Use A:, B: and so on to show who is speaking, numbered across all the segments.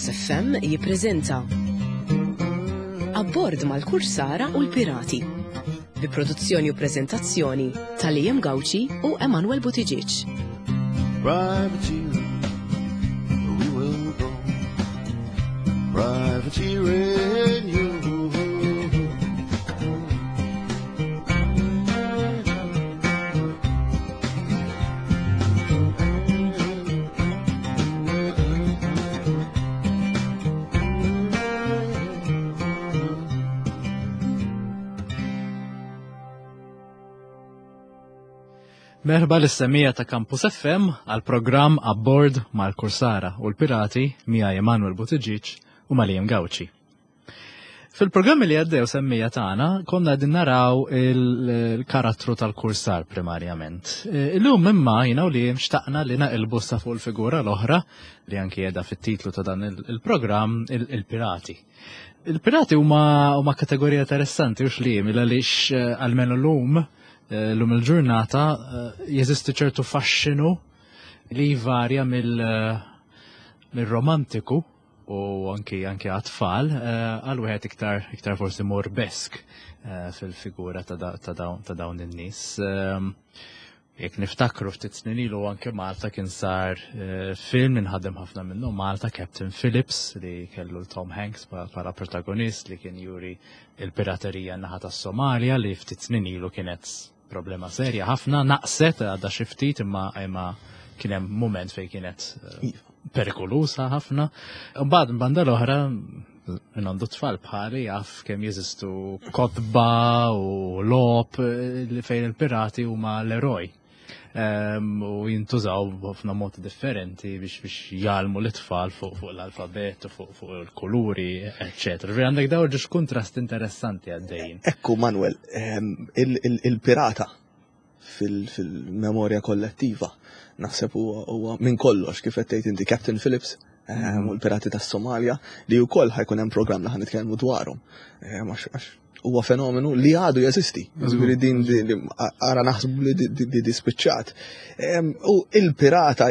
A: Campus FM jippreżenta Abbord mal-Kursara u l-Pirati bi produzzjoni u preżentazzjoni ta' Liam Gauci u Emanuel Buttigieg.
B: Privateering, we will go. Privateering you.
C: Merħba l-semija ta' Campus FM għal programm Abbord mal-Kursara u l-Pirati mija Emanuel Buttigieg u Malijem Gauci. Fil-programmi li għaddew semmija tagħna konna qegħdin naraw il-karattru tal-kursar primarjament. E, illum imma jiena u li xtaqna li naqilbu sa fuq il-figura l-oħra li anki qiegħda fit-titlu ta' dan il-programm il-pirati. Il-pirati huma kategorija interessanti u xlim għaliex e, almenu llum e, llum il-ġurnata jeżisti ċertu faxxinu li jvarja mill-romantiku u anki anki għat-tfal eh, għal wieħed iktar iktar forsi morbesk eh, fil-figura ta' dawn in-nies. Ehm, jekk niftakru ftit snin ilu anke Malta kien sar eh, film inħadem ħafna minnu Malta Captain Phillips li kellu Tom Hanks bħala protagonist li kien juri il-piraterija naħa tas-Somalja li ftit snin ilu kienet Problema serja ħafna, naqset għadha xi ftit imma imma kien hemm mument fejn kienet eh, iva. perikolusa ħafna. Mbagħad banda l-oħra minn għandu tfal bħali jaf kemm jeżistu kotba u lop eh, li fejn il-pirati huma l-eroj. Ehm, u jintużaw ħafna modi differenti biex biex jgħallmu l-itfal fuq fuq l-alfabet u fuq fuq il-kuluri, eccetera. Ġifieri għandek dawn ġiex kuntrast interessanti għaddejjin.
D: Ekku Manuel, ehm, il-pirata fil-memorja kollettiva naħseb huwa minn kollox kif qed tgħid inti Captain Phillips ehm, u l-pirati tas-Somalja li wkoll ħajkun hemm programm li ħanitkellmu dwarhom. Għax huwa fenomenu li għadu jeżisti. Ġifieri din ara naħsbu li di spiċċat. U il-pirata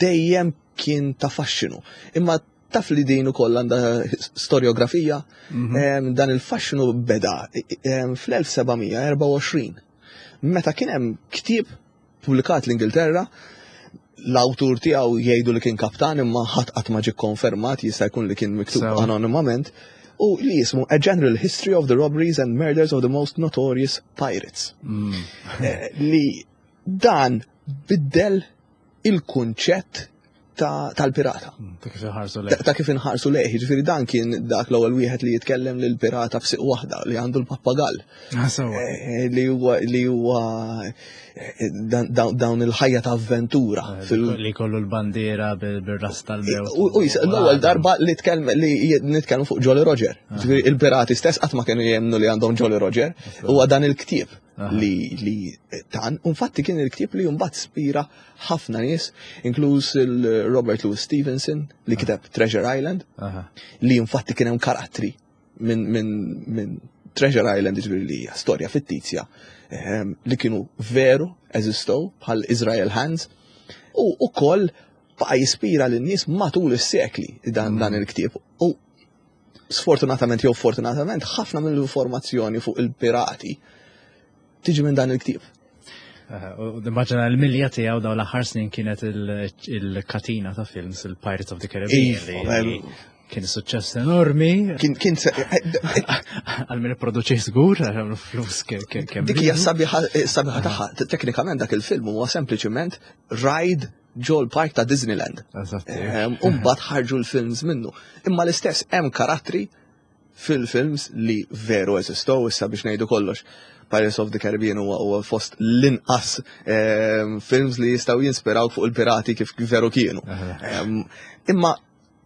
D: dejjem kien ta' faxxinu. Imma taf li din ukoll għandha storjografija, mhm. dan il-faxxinu beda fl-1724. Meta kien hemm ktieb Pubblikat l-Ingilterra, l-awtur tiegħu jgħidu li kien kaptan imma ħadd qatt ma ġie kkonfermat, jista' jkun li kien miktub anonimament, u li jismu A General History of the Robberies and Murders of the Most Notorious Pirates. Mm. Eh, li dan biddel il-kunċett tal-pirata.
C: Mm, ta' kif inħarsu lejh.
D: Ta' kif inħarsu lejh, ġifieri dan kien dak l-ewwel wieħed li jitkellem lil pirata f'siq waħda li għandu l-pappagall.
C: Ah,
D: eh, li huwa li huwa eh, dawn il-ħajja ta' avventura.
C: Eh, li kollu l-bandiera bil-ras tal-mewt.
D: U l-ewwel darba li tkellem li nitkellmu fuq Jolly Roger. Ah. Ġifieri il-pirati stess qatt ma kienu jemmnu li għandhom Jolly Roger. Huwa dan il-ktieb li li tan, infatti kien il-ktieb li mbagħad spira ħafna nies, inkluż il-Robert Louis Stevenson li kiteb Treasure Island, li infatti kien hemm karattri minn min, min Treasure Island ġifieri li hija storja fittizja ehm, li kienu veru eżistow bħal Israel Hands u ukoll baqa' jispira lin-nies matul is-sekli dan, dan mm. il-ktieb. U sfortunatament jew fortunatament ħafna mill-informazzjoni fuq il-pirati tiġi minn dan il-ktieb.
C: Eh, u nimmaġina l-milja tiegħu dawn l-aħħar snin kienet il-katina ta' films il-Pirates of the Caribbean. Iva, kien suċċess enormi.
D: Kien kien
C: għal min ipproduċi żgur, għamlu flus kemm.
D: Dik hija sabiħa eh, sabiħa tagħha. Teknikament dak il-film huwa sempliċiment ride ġol park ta' Disneyland. Ehm, u mbagħad ħarġu l-films minnu. Imma l-istess hemm karattri fil-films li veru eżistow issa biex ngħidu kollox. Pirates of the Caribbean huwa huwa fost l-inqas ehm, films li jistgħu jinspiraw fuq il-pirati kif veru kienu. Ehm, imma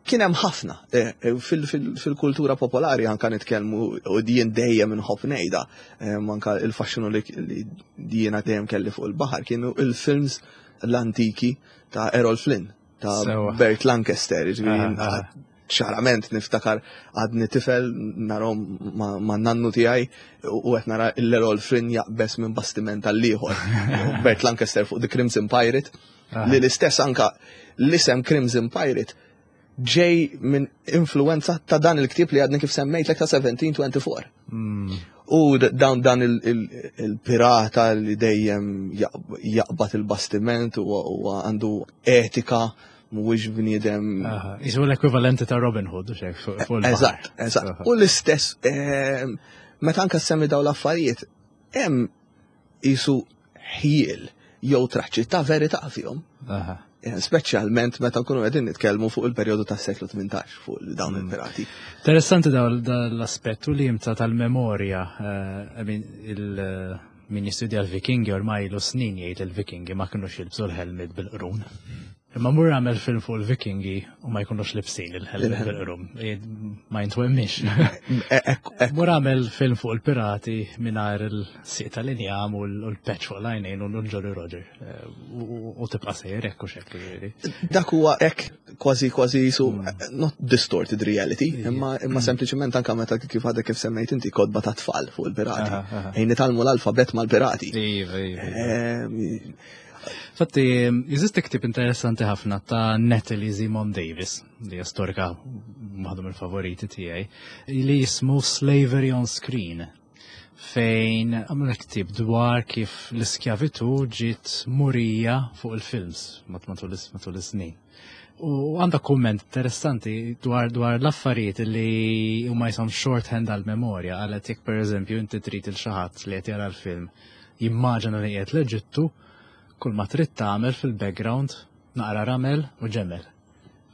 D: kien hemm ħafna eh, eh, fil-kultura popolari anka nitkellmu u jien dejjem inħobb ngħidha ehm, anka il-faxxinu li jiena dejjem kelli fuq il-baħar kienu il-films l-antiki ta' Errol Flynn ta' Bert Lancaster, ġifieri ċarament niftakar għadni tifel narhom ma' nannu tiegħi u qed nara l-Errol Flynn jaqbes minn bastiment għal ieħor. Bert Lancaster fuq The Crimson Pirate li l-istess anka l-isem Crimson Pirate. ġej minn influenza ta' dan il-ktieb li għadni kif semmejtlek ta' 1724. U dawn dan il-pirata li dejjem jaqbad il-bastiment u għandu etika mhuwiex bniedem.
C: Isu l-ekwivalenti ta' Robin Hood, xek, fuq il
D: Eżatt, eżatt. U l-istess, meta anka semmi dawn l-affarijiet, hemm isu ħjiel jew traċċi ta' verità fihom. Speċjalment meta nkunu qegħdin nitkellmu fuq il-perjodu tas-seklu 18 fuq dawn il-pirati.
C: Interessanti daw l-aspettu li jimta tal-memorja. I mean, min jistudja l-Vikingi ormai ilu snin jgħid il-Vikingi ma kinux jilbsu l-helmet bil-qrun. Imma mur għamel film fuq il-Vikingi u ma jkunux libsin il-helmet bil-qrun. Ma jintwemmix. Mur għamel film fuq il-pirati mingħajr il-sieq tal-injam u l-patch fuq l-għajnejn u l-Jolly Roger. U tibqa' sejjer hekk u xekk ġifieri.
D: Dak huwa hekk kważi kważi jisu not distorted reality, imma sempliċement anka meta kif għadek kif semmejt inti kotba ta' tfal fuq il-pirati. Ejn nitgħallmu l-alfabet mal-pirati.
C: Iva, iva. Fatti, jeżisti ktib interessanti ħafna ta' Natalie Zemon Davis, li hija storika waħda mill-favoriti tiegħi, li jismu Slavery on Screen, fejn għamlu ktib dwar kif l-iskjavitu ġiet murija fuq il-films matul is-snin. U għandha kumment interessanti dwar l-affarijiet li huma jisom shorthand għal-memorja, għalet jekk per eżempju inti trid il xi ħadd li qed jara l-film jimmaġina li qiegħed l-Eġittu, kull ma trid tagħmel fil-background naqra ramel u ġemel.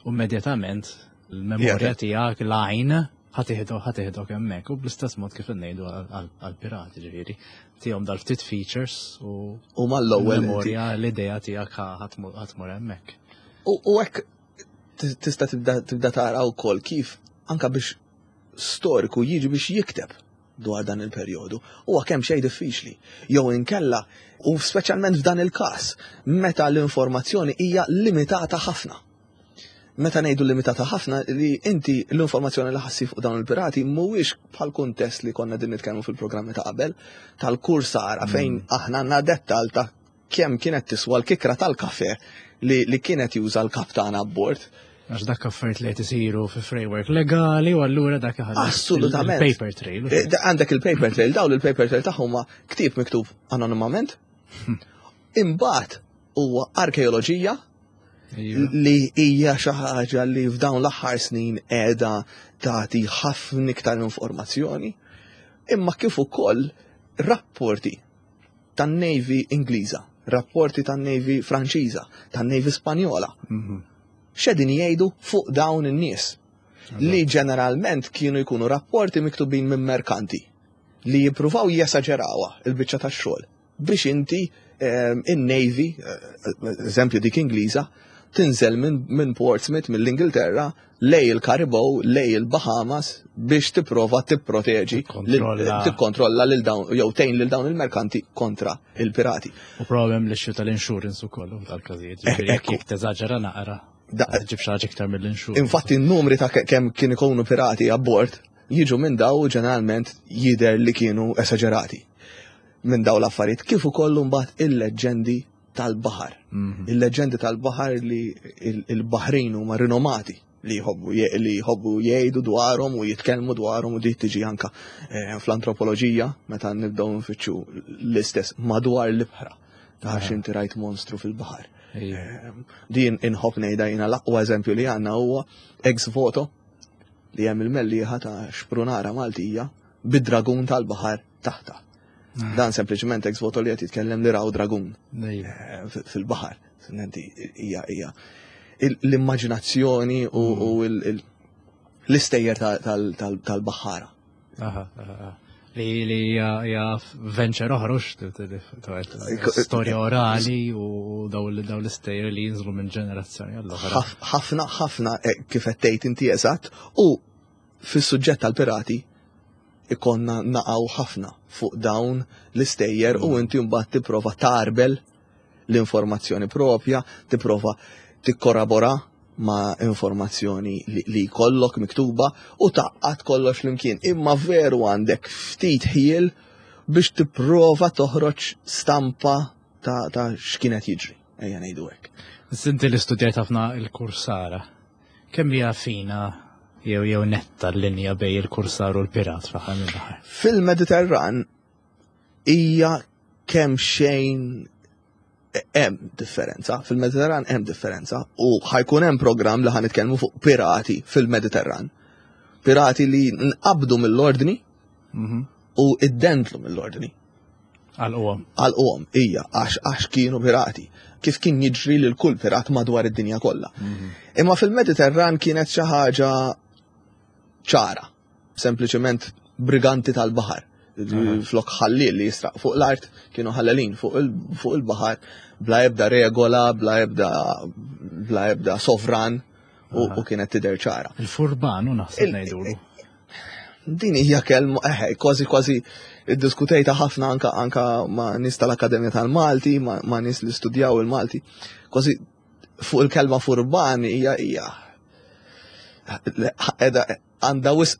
C: U immedjatament il-memorja tiegħek l-għajn ħa tieħdok hemmhekk u bl-istess mod kif ngħidu għal-pirati ġifieri. Tihom dal-ftit features u
D: U mal-ewwel
C: il-memorja l-idea tiegħek ħa tmur hemmhekk.
D: U hekk tista' tibda tara wkoll kif anka biex storiku jiġi biex jikteb dwar dan il-perjodu huwa kemm xejn diffiċli. Jew inkella, u speċjalment f'dan il-każ, meta l-informazzjoni hija limitata ħafna. Meta ngħidu limitata ħafna li inti l-informazzjoni li ħa ssib fuq dawn il-pirati mhuwiex bħal kuntest li konna din nitkellmu fil-programmi ta' qabel tal-kursara fejn aħna għandna dettal ta' kemm kienet tiswa l-kikra tal-kafe li kienet juża l-kaptan abbord.
C: Għax dak affarijiet li qed isiru fi framework legali u allura dak iħalli il-paper trail.
D: Għandek il-paper trail, dawn il-paper trail tagħhom huma ktieb miktub anonimament. Imbagħad huwa arkeoloġija li hija xi ħaġa li f'dawn l-aħħar snin qiegħda tagħti ħafna iktar informazzjoni, imma kif ukoll rapporti tan-Navy Ingliża, rapporti tan-Navy Franċiża, tan-Navy Spanjola. X'qegħdin jgħidu fuq dawn in-nies li ġeneralment kienu jkunu rapporti miktubin minn merkanti li jippruvaw jesaġerawha il-biċċa tax-xogħol biex inti in-Navy, eżempju dik Ingliża, tinżel minn Portsmouth, mill-Ingilterra, lejn il-Karibew, lejn il-Bahamas biex tipprova tipproteġi, tikkontrolla lil dawn jew tgħin lil dawn il-merkanti kontra il-pirati.
C: U problem li xu tal-insurance ukoll tal-każijiet. Jekk teżaġera naqra. Ġib xi ħaġa iktar mill-insurance.
D: Infatti n-numri ta' kemm kien ikunu pirati abbord jiġu minn daw ġeneralment jider li kienu esaġerati minn daw l-affarijiet kif ukoll mbagħad il-leġġendi tal-baħar. Il-leġġendi tal-baħar li il-baħrin huma rinomati li jħobbu jgħidu dwarhom u jitkellmu dwarhom u di tiġi anka fl-antropoloġija meta nibdew nfittxu l-istess madwar l-ibħra. Għax inti rajt monstru fil-baħar. Din inħobb ngħidha jiena l-aqwa eżempju li għandna huwa ex voto li hemm il-Mellieħa ta' xprunara Maltija bid-dragun tal-baħar taħta. Dan sempliċement ex voto li qed jitkellem li raw dragun fil-baħar. Inti hija l-immaġinazzjoni u l-istejjer tal-baħara.
C: Li hija venture oħroġ storja orali u daw l-istejjer li jinżlu minn ġenerazzjoni għall-oħra.
D: Ħafna, ħafna kif qed tgħid inti eżatt u fis-suġġett tal-pirati ikonna naqaw ħafna fuq dawn l-istejjer u inti mbagħad tipprova tarbel l-informazzjoni propja, tipprova tikkorrabora ma' informazzjoni li jkollok miktuba u tgħaqqad kollox flimkien. Imma veru għandek ftit ħiel biex tipprova toħroġ stampa ta' x'kienet jiġri, ejja ngħidu hekk.
C: Inti li studjajt ħafna il-kursara. Kemm hija fina jew jew netta l-linja bej il-kursar u l-pirat fl-aħħar mill-aħħar?
D: Fil-Mediterran hija kemm xejn hemm differenza, fil-Mediterran hemm differenza u ħajkun hemm programm li ħanitkellmu fuq pirati fil-Mediterran. Pirati li nqabdu mill-ordni mhm. u iddentlu mill-ordni.
C: Għal-qom.
D: Għal-qom, ija, għax għax kienu pirati. Kif kien jiġri lil kull pirat madwar id-dinja kollha. Mhm. Imma fil-Mediterran kienet xi ħaġa ċara. Sempliċement briganti tal-baħar. Flok ħallil li jisraq fuq l-art, kienu ħallelin fuq il-baħar, bla ebda regola, bla ebda bla ebda sovran u kienet tidher ċara.
C: Il-furbanu naħseb ngħidulu.
D: Din hija kelma, eħe, kważi kważi iddiskutejta ħafna anka anka ma' nies tal-Akkademja tal-Malti, ma' nies li studjaw il-Malti. Kważi fuq il-kelma furban hija hija għandha wisq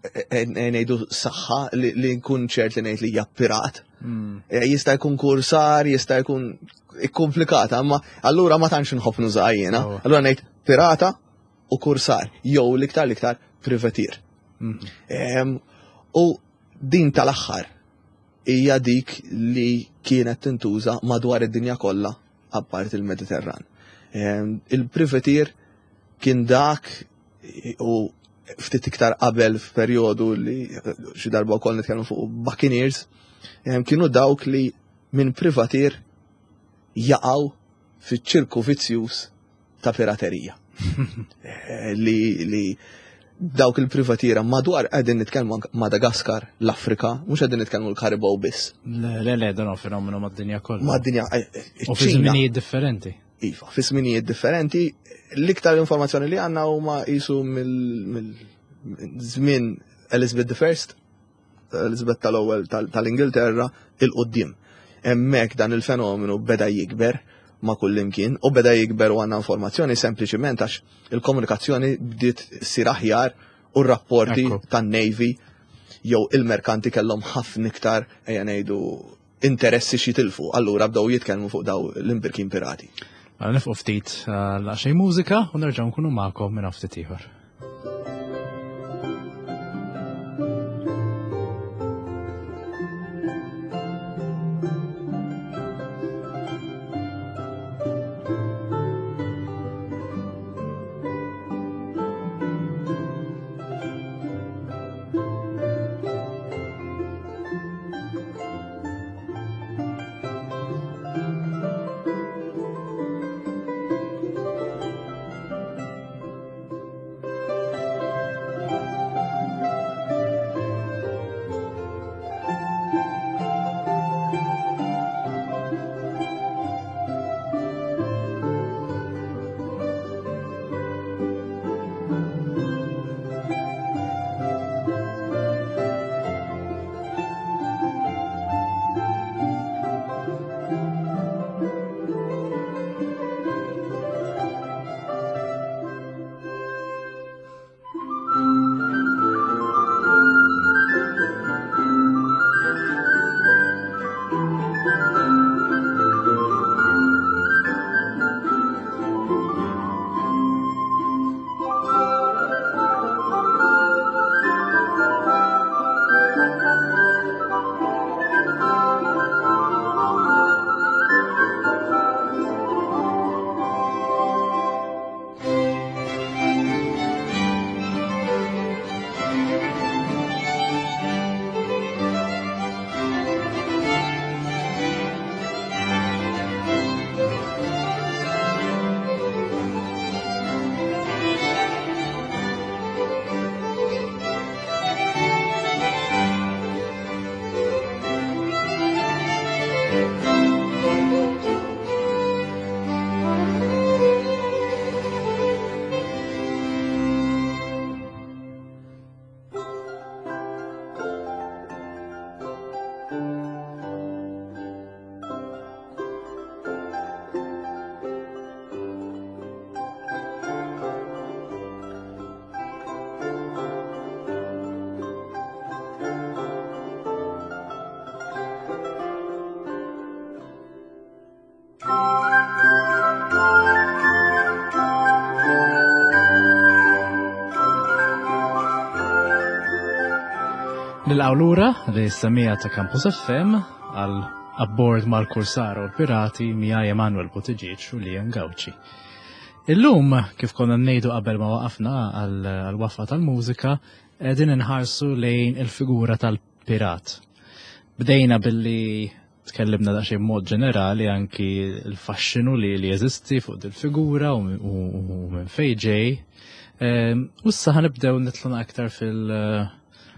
D: e, e, e, ngħidu saħħa li nkun ċert li ngħid li hija pirat. Hmm. Jista' jkun kursar, jista' jkun ikkomplikata, imma allura ma tantx nħobb nuża jiena. Oh. Allura ngħid pirata u kursar, jew l-iktar l-iktar privatir. Hmm. U din tal-aħħar hija dik li kienet tintuża madwar id-dinja kollha apparti il-Mediterran. Ehm, il-privatir kien dak u ftit iktar qabel f'perjodu li xi darba wkoll nitkellmu fuq Buccaneers, ehm, kienu dawk li minn privatir jaqgħu fiċ-ċirku vizzjuż ta' piraterija. Eh, li, li dawk il-privatiera madwar qegħdin nitkellmu Madagaskar, l-Afrika, mhux qegħdin nitkellmu l-Karibaw biss.
C: Le, le, le, dan fenomenu mad-dinja kollha.
D: Mad-dinja. Eh, eh,
C: U fi żminijiet differenti.
D: Iva, fi żminijiet differenti, l-iktar informazzjoni li għandna huma qisu mill-żmien Elizabeth I, Elizabeth tal-ewwel tal-Ingilterra il-qudiem. Hemmhekk dan il-fenomenu beda jikber ma' kullimkien u beda jikber u għandna informazzjoni sempliċiment għax il-komunikazzjoni bdiet ssir aħjar u r-rapporti tan-Navy jew il-merkanti kellhom ħafna iktar ejja ngħidu interessi xi tilfu, allura bdew jitkellmu fuq daw l-imbirkin pirati.
C: Mela nifqu ftit eh, laqxej mużika u nerġgħu nkunu magħkom minn ftit ieħor. Nilqgħu lura li semija ta' Campus FM għal abbord mal-Kursara u l-Pirati miegħi Emanuel Buttigieg u Liam Gauci. Illum, kif konna ngħidu qabel ma waqafna għal-waqfa tal-mużika, qegħdin inħarsu lejn il-figura tal-pirat. Bdejna billi tkellimna daqsxejn mod ġenerali anki l-faxxinu li li jeżisti fuq dil-figura u minn fejn ġej. Ehm, u issa ħanibdew nitlu aktar fil-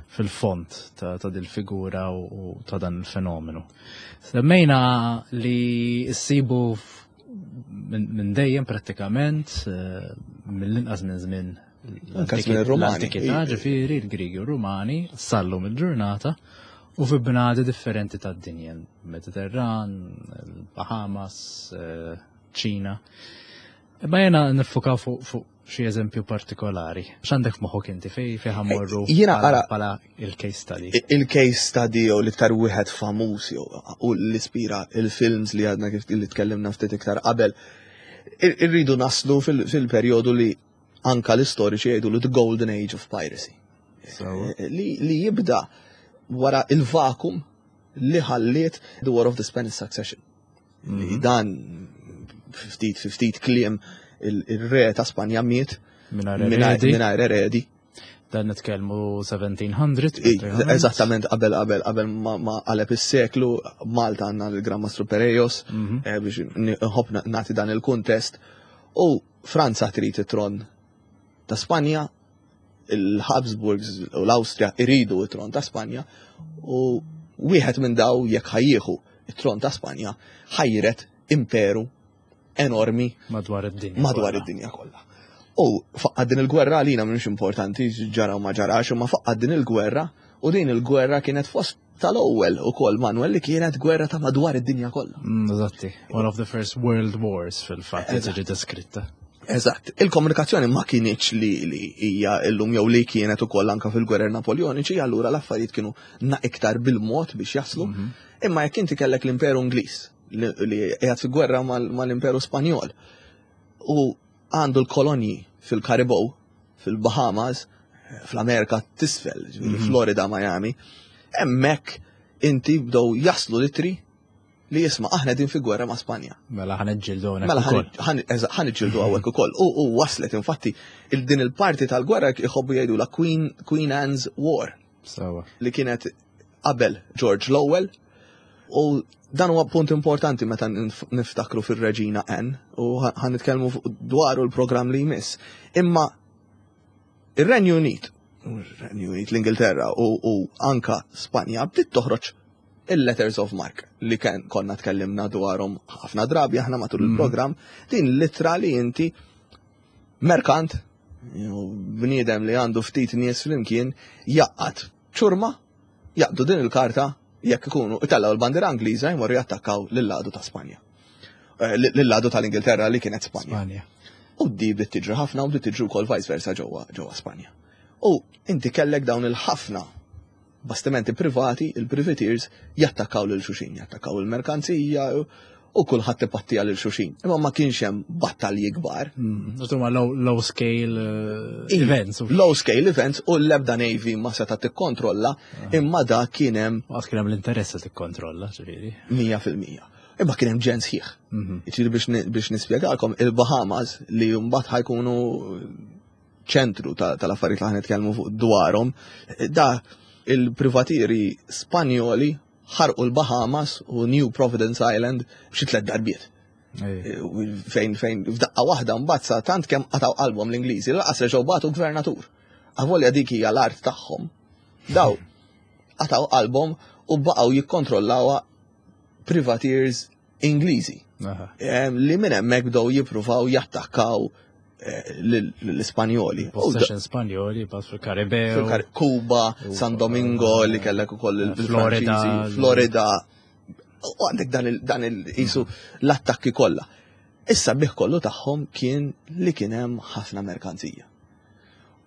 C: fil-font ta' dil-figura u ta' dan il-fenomenu. Semmejna li ssibu minn dejjem prattikament, eh, mill-inqas minn żmien
D: l-antikità,
C: ġifieri l-Grigi u Rumani, sallum il-ġurnata u fi bnadi differenti tad-dinja, Mediterran, il-Bahamas, eh, ċina. Imma jena nifukaw fuq xi eżempju partikolari. X'għandek f'moħħok inti fej fej ħammorru eh,
D: jiena ara
C: bħala il-case study.
D: Il-case study jew l-iktar wieħed famuż jew u l-ispira il-films li għadna kif li tkellimna ftit iktar qabel. Irridu naslu fil-perjodu li anka l-istoriċi jgħidu li the golden age of piracy. Eh, li, li jibda wara il-vakum li ħalliet the War of the Spanish Succession. Li mhm. dan ftit ftit kliem il-re ta' Spanja miet mingħajr eredi.
C: Dan nitkellmu 1700.
D: Eżattament qabel qabel qabel ma qaleb is-seklu Malta għandna l-Gran Mastru Perejos mhm. eh, biex nħobb nagħti dan il-kuntest. U Franza trid it-tron ta' Spanja, il-Habsburgs u l-Awstrija iridu it-tron ta' Spanja u wieħed minn daw jekk ħajjieħu it-tron ta' Spanja ħajret imperu enormi
C: madwar id-dinja.
D: Madwar id-dinja kollha. U faqqa din il-gwerra għalina mhux importanti ġara u ma ġarax, imma faqqa din il-gwerra u din il-gwerra kienet fost tal-ewwel ukoll Manuel li kienet gwerra ta' madwar id-dinja kollha.
C: Mm, eżatti, one of the first world wars fil-fatt li tiġi deskritta.
D: Eżatt, il-komunikazzjoni ma kienieċ li li hija llum jew li kienet ukoll anka fil-gwerer Napoljoniċi, allura l-affarijiet kienu na iktar bil-mod biex jaslu. Mhm. Imma jekk inti kellek l-Imperu Ingliż li qiegħed fi gwerra mal-Imperu Spanjol u għandu l-kolonji fil-Karibow, fil-Bahamas, fl-Amerika tisfel, ġifieri mhm. Florida, Miami, hemmhekk inti bdew jaslu litri li jisma' aħna din fi gwerra ma' Spanja.
C: Mela ħan iġġildu
D: Mela ħan iġġildu hawnhekk ukoll. U waslet infatti din il-parti tal-gwerra jħobbu jgħidu la Queen, Queen Anne's War.
C: Sawa.
D: Li kienet qabel George l-ewwel u dan huwa punt importanti meta niftakru fir-Reġina Anne u ħan nitkellmu dwaru l-programm li jmiss. Imma ir-Renju Unit, Renju Unit, l-Ingilterra u, u anka Spanja bdiet toħroġ il-letters of mark li kien konna tkellimna dwarhom ħafna drabi aħna matul mm. il-programm, din litra li inti merkant, bniedem li għandu ftit nies flimkien jaqqat ċurma jaqdu din il-karta jekk ikunu itellgħu l-bandiera Ingliża jmorru jattakkaw lill-għadu ta' Spanja. Eh, lill-għadu tal-Ingilterra li kienet Spanja. U di bdiet tiġri ħafna u bdiet tiġri wkoll vice versa ġewwa ġewwa Spanja. U inti kellek dawn il-ħafna bastimenti privati, il-privateers, jattakkaw lil xuxin, jattakkaw il-merkanzija u kulħadd ipattija lil xuxin. Imma ma kienx hemm battalji kbar.
C: Mm, huma low, low scale eh, events.
D: Low scale events u l-ebda Navy ma seta' tikkontrolla, ah. imma da kien hemm.
C: Għad kien hemm l-interess li tikkontrolla, ġifieri.
D: 100%. Imma kien hemm ġens ħieħ. Mhm. Ġifieri biex nispjegalkom il-Bahamas li mbagħad ħajkunu ċentru tal-affarijiet li ħan nitkellmu fuq dwarhom, da il-privatieri Spanjoli ħarqu l-Bahamas u New Providence Island xi tliet darbiet. Fejn fejn f'daqqa waħda mbagħad sa tant kemm qataw qalbhom l-Ingliżi, laqas reġgħu bagħtu gvernatur. Avolja dik hija l-art tagħhom. Daw qataw qalbhom u baqgħu jikkontrollawha privateers Ingliżi. Li minn hemmhekk bdew jippruvaw jattakkaw eh, l-Ispanjoli.
C: Possession Spanjoli, pas fil-Karibew.
D: Kuba, San Domingo, li kellek ukoll il-Florida. Florida. U għandek dan il-isu l-attakki kollha. Issa bih kollu tagħhom kien li kien hemm ħafna merkanzija.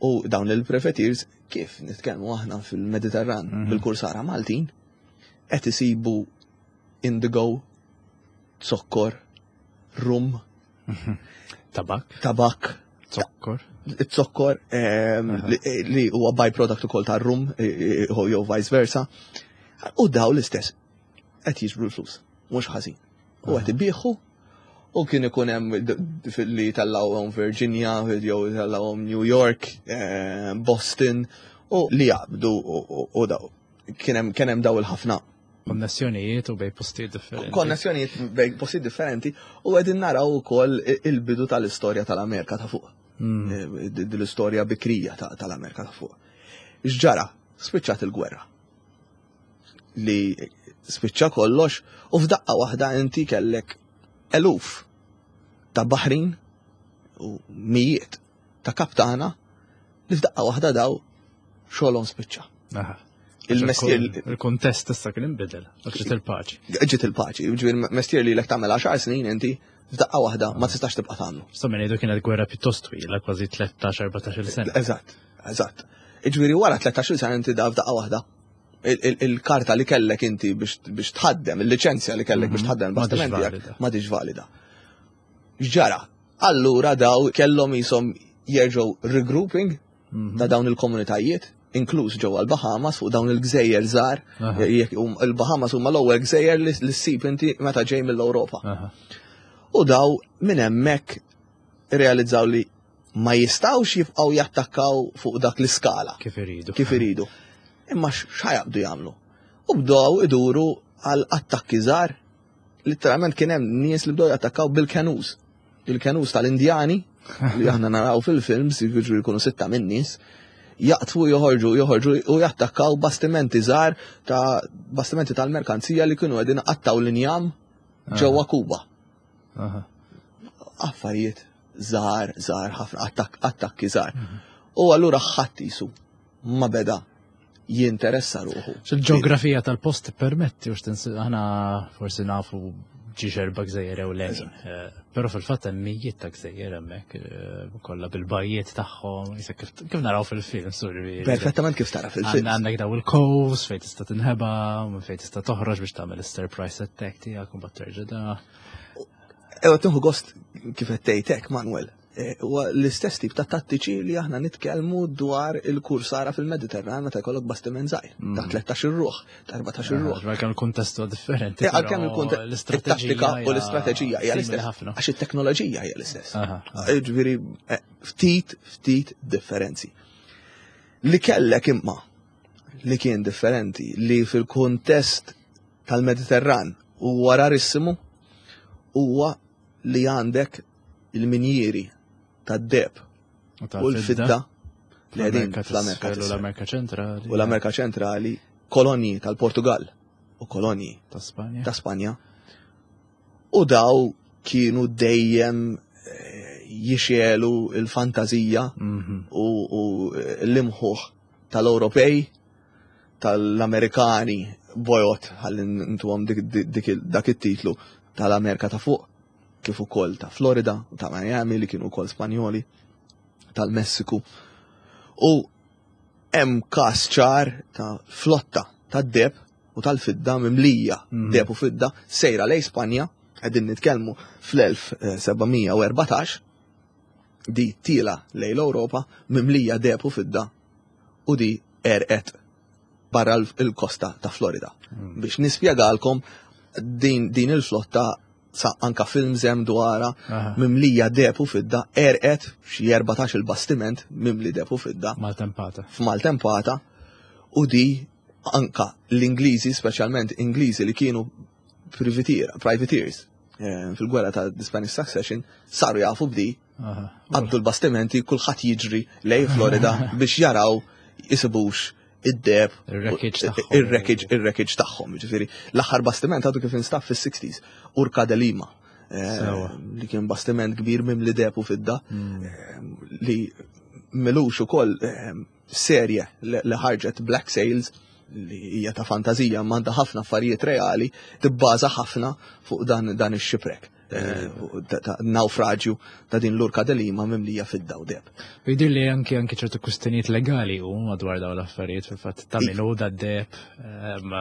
D: U dawn il-prefetirs kif nitkellmu aħna fil-Mediterran mhm. bil-kursara Maltin qed isibu indigo, zokkor, rum,
C: tabak,
D: tabak.
C: Zokkor.
D: Zokkor ehm, li huwa byproduct ukoll tar-rum jew vice versa. U daw l-istess qed jiġbru l-flus, mhux ħażin. U qed ibieħu u kien ikun hemm li tellgħuhom Virginia, jew tellgħuhom New York, eh, Boston, u li jaqbdu u daw. Kien hemm daw il-ħafna
C: Konnessjonijiet u bej postijiet differenti.
D: Konnessjonijiet bej postijiet differenti u qegħdin naraw ukoll il-bidu tal-istorja tal-Amerika ta' fuq. Eh, l-istorja bikrija tal-Amerika ta' fuq. X'ġara? Spiċċat il-gwerra. Li spiċċa kollox u f'daqqa waħda inti kellek eluf ta' baħrin u mijiet ta' kaptana li f'daqqa waħda daw xogħolhom spiċċa.
C: Il-mestier. Il-kontest issa kien inbidel, ġiet il-paċi.
D: Ġiet il-paċi, ġifieri mestier li lek tagħmel 10 snin inti f'daqqa waħda ma tistax tibqa' tagħmlu.
C: Sa minn ngħidu kienet gwerra pjuttost twila, kważi 13-14 sena.
D: Eżatt, eżatt. Ġifieri wara 13 sena inti da f'daqqa waħda il-karta li kellek inti biex tħaddem, il-liċenzja li kellek biex mhm. tħaddem bastiment ma diġ valida. X'ġara? Allura daw kellhom jisom jerġgħu regrouping mhm. ta' dawn il-komunitajiet, inkluż ġewwa l-Bahamas fuq dawn il-gżejjer żgħar. Il-Bahamas huma l-ewwel gżejjer li ssib inti meta ġej mill-Ewropa. U daw minn hemmhekk realizzaw li ma jistawx jibqgħu jattakkaw fuq dak l-iskala.
C: Kif iridu.
D: Kif iridu. Imma x'ħajabdu jagħmlu? U bdew iduru għal attakki żgħar Literalment kien hemm nies li bdew jattakkaw bil-kenus. Il-kenus tal-Indjani li aħna naraw fil-films, jiġu jkunu sitta minn nies, jaqtfu joħorġu joħorġu u jattakkaw bastimenti żgħar ta' bastimenti tal-merkanzija li kienu qegħdin qattaw l-injam ġewwa Kuba. Affarijiet żgħar, żgħar ħafna attakki żgħar. Mhm. U allura ħadd jisu ma beda jinteressa ruħu.
C: Il-ġeografija tal-post permetti, u aħna forsi nafu ġiġ erba' gżejjer ewlenin. Eh, però fil-fatt hemm mijiet ta' gżejjer hemmhekk eh, kollha bil-bajjiet tagħhom, kif naraw fil-film,
D: sorry. Perfettament kif tara fil-film.
C: Għandek daw il-coves fejn tista' tinħeba, fejn tista' toħroġ biex tagħmel is-surprise attack tiegħek u mbagħad terġa' da.
D: Ewa tieħu gost kif qed tgħid hekk, Manuel. Eh, huwa l-istess tip ta' tattiċi li aħna nitkellmu dwar il-kursara fil-Mediterran meta jkollok bastiment żgħir ta' 13 mm. ruħ, ta' 14 eh, ruħ.
C: Għalkemm il-kuntest huwa differenti.
D: Eh, għalkemm il-kuntest it-tattika u l-istrateġija hija l-istess. Għax it-teknoloġija hija l-istess. Ġifieri ftit ftit differenzi. Li kellek imma li kien differenti li fil-kuntest tal-Mediterran huwa rarissimu huwa li għandek il-minjieri tad-deheb u l-fidda li qegħdin fl-Amerika
C: u l-Amerika ċentrali.
D: U l-Amerika ċentrali, kolonji tal-Portugal u kolonji
C: ta' Spanja.
D: Ta' Spanja. U daw kienu dejjem eh, jixelu il-fantazija mhm. u l-imħuħ tal-Ewropej, tal-Amerikani bojot, ħalli ntuhom dak it-titlu tal-Amerika ta' fuq kif ukoll ta' Florida u ta' Miami li kienu wkoll Spanjoli, tal-Messiku. U hemm każ ċar ta' flotta ta' deb u tal-fidda mimlija mm. deb u fidda sejra lej Spanja, qegħdin nitkellmu fl-1714 di tila lej l-Ewropa mimlija deb u fidda u di erqet barra l-kosta ta' Florida. Mm. Biex nispjegalkom din, din il-flotta sa anka films hemm dwarha mimlija deb u fidda erqet xi 14 il-bastiment mimli deb u fidda.
C: Maltempata.
D: F'maltempata u di anka l-Ingliżi, speċjalment Ingliżi li kienu privateers eh, fil-gwerra ta' the Spanish Succession, saru jafu b'di Għaddu l-bastimenti, kulħadd jiġri lej Florida biex jaraw jisibux id-deb,
C: ir-wreckage
D: ir-wreckage tagħhom. Ġifieri, l-aħħar bastiment għadu kif instab fis-60s, Urca de Lima. Eh, li kien bastiment kbir mimli deb u fidda, hmm. eh, li milux ukoll eh, serje li ħarġet Black Sails li hija ta' fantazija m'għandha ħafna affarijiet reali, tibbaża ħafna fuq dan dan ix-xiprek. Eh, naufraġju ta' din l-urka delima mimlija fid-daw deb.
C: Jidir li anki anki ċertu kustenijiet legali u madwar daw l-affarijiet fil-fatt ta' minu da deb. Ehm,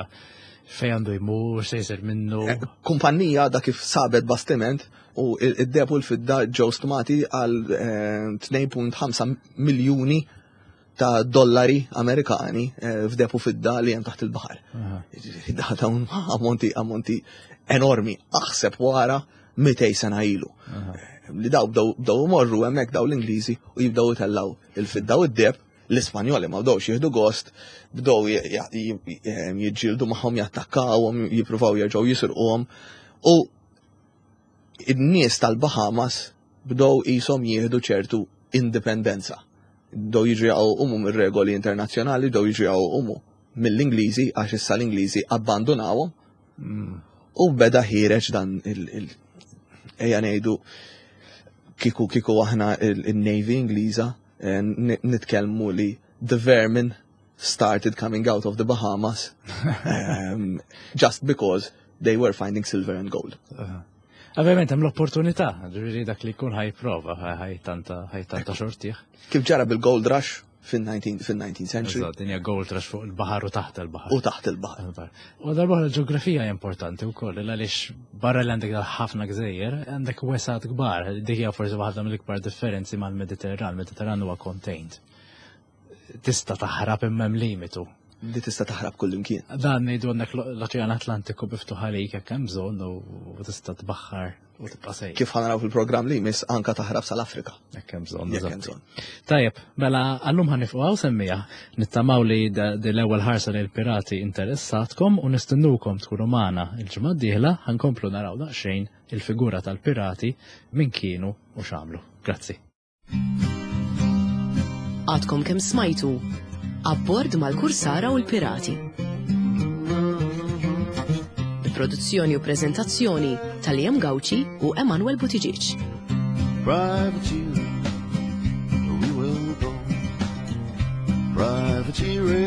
C: Fejn għandu jmur, se jsir minnu.
D: Eh, kumpanija da kif sabet bastiment u id-deb u l-fidda ġew stmati għal 2.5 eh, miljuni ta' dollari Amerikani eh, f'deb u fidda li hemm taħt il-baħar. Da dawn ammonti ammonti enormi aħseb wara 200 sena ilu. Li daw bdew morru hemmhekk daw l-Ingliżi u jibdew itellaw il-fidda u d-deb L-Ispanjoli ma bdewx jieħdu gost, bdew jiġġieldu magħhom, jattakkawhom, jippruvaw jerġgħu jisirquhom. U n-nies tal-Bahamas bdew qishom jieħdu ċertu indipendenza. Bdew jiġu jaqgħu umu mir-regoli internazzjonali, bdew jiġu jaqgħu umu mill-Ingliżi għax issa l-Ingliżi abbandunawhom. Mm. U beda ħireġ dan il- ejja ngħidu kiku kiku aħna il-Navy Ingliża eh, nitkellmu li the vermin started coming out of the Bahamas um, just because they were finding silver and gold.
C: Ovvjament hemm l-opportunità, ġifieri dak li jkun ħajprova, ħajtanta ħajtanta xortih.
D: Kif ġara bil-gold rush fin-19th century.
C: Eżatt, dinja gold rush fuq il-baħar u taħt il-baħar.
D: U taħt il-baħar.
C: U darba l-ġeografija hija importanti wkoll, għaliex barra li għandek ħafna gżejjer, għandek wesat kbar, dik hija forsi waħda mill-ikbar differenzi mal-Mediterran, il-Mediterran huwa contained. Tista' taħrab imma hemm limitu.
D: Li tista' taħrab kullimkien.
C: Dan ngħidu għandek l-Oċean Atlantiku biftuħ għalik jekk hemm bżonn u tista' tbaħħar u tibqa' sejjer.
D: Kif ħanaraw fil-programm li jmiss anka taħrab sal-Afrika.
C: Jekk hemm bżonn. Jekk hemm bżonn. Tajjeb, mela għallum ħanifqu hawn semmija. Nittamaw li l-ewwel ħarsa lil pirati interessatkom u nistennukom tkunu magħna il-ġimgħa d-dieħla ħankomplu naraw daqsxejn il-figura tal-pirati min kienu u x'għamlu. Grazzi.
A: Għadkom kemm smajtu Abbord mal-Kursara u l-Pirati. Produzzjoni u preżentazzjoni tal-Liam Gauci u Emanuel Buttigieg. Privateer, we will go. Privateering.